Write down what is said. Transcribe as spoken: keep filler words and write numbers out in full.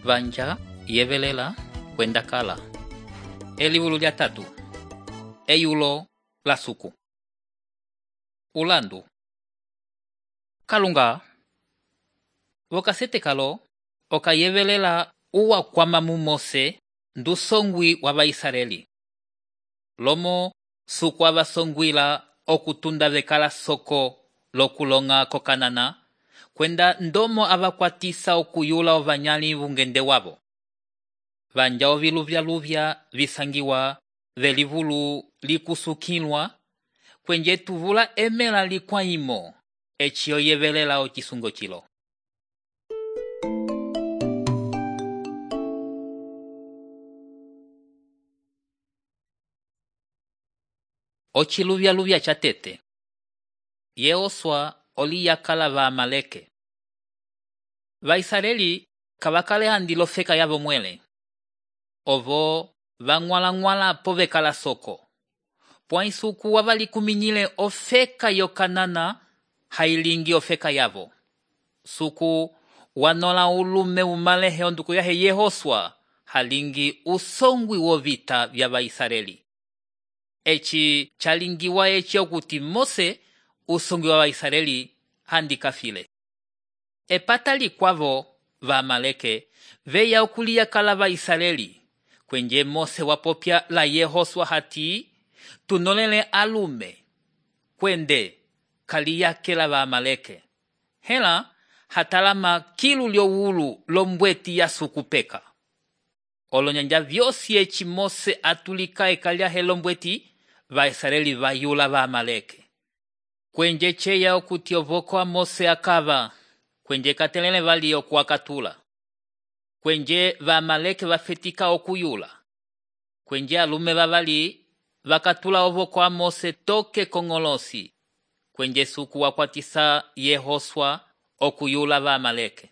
Vanja yevelela kwenda kala. Elivulu lya tatu. Eyulo la suku. Ulandu. Kalunga. Vokasete kalo okayevelela uwa kwamamu Mose ndu songwi wa Vaisareli. Lomo suku avasongwila okutunda vekala soko lokulonga kokanana kwenda ndomo avakwatisa okuyula ovanyali vungende wavo. Vanja oviluvya luvya visangiwa velivulu likusukilwa kwenje tuvula emela likwaimo eci oyevelela ocisungo cilo. Ochiluvya luvya chatete. Yehoswa oli yakala va Amaleke. Vaisareli kavakale handilo feka yavo mwele. Ovo vangwala ngwala povekala soko. Pwaisuku wavali kuminyile ofeka yokanana hailingi ofeka yavo. Suku wanola ulume umalehe onduku yahe Yehoswa halingi usongwi wovita vya Vaisareli. Eci chalingiwa eci okuti Mose usongwi wa Vaisareli handikafile. Epatali kwavo va Amaleke veya okulia kala Vaisareli kwenje Mose wapopya la Yehoswa hati tunolele alume kwende kaliyakela va Amaleke. Hela hatalama kilu lyowulu lombweti ya sukupeka. Olonyanja vyosi eci Mose atulika ekalia helombweti Vaisareli vayula va Amaleke. Kwenje cheya okuti ovoko wa Mose akava kwenje katelele vali okuakatula. Kwenje va Amaleke vafetika okuyula. Kwenje alume vavali vakatula ovoko wa Mose toke kongolosi. Kwenje suku wakwatisa Yehoswa okuyula va Amaleke.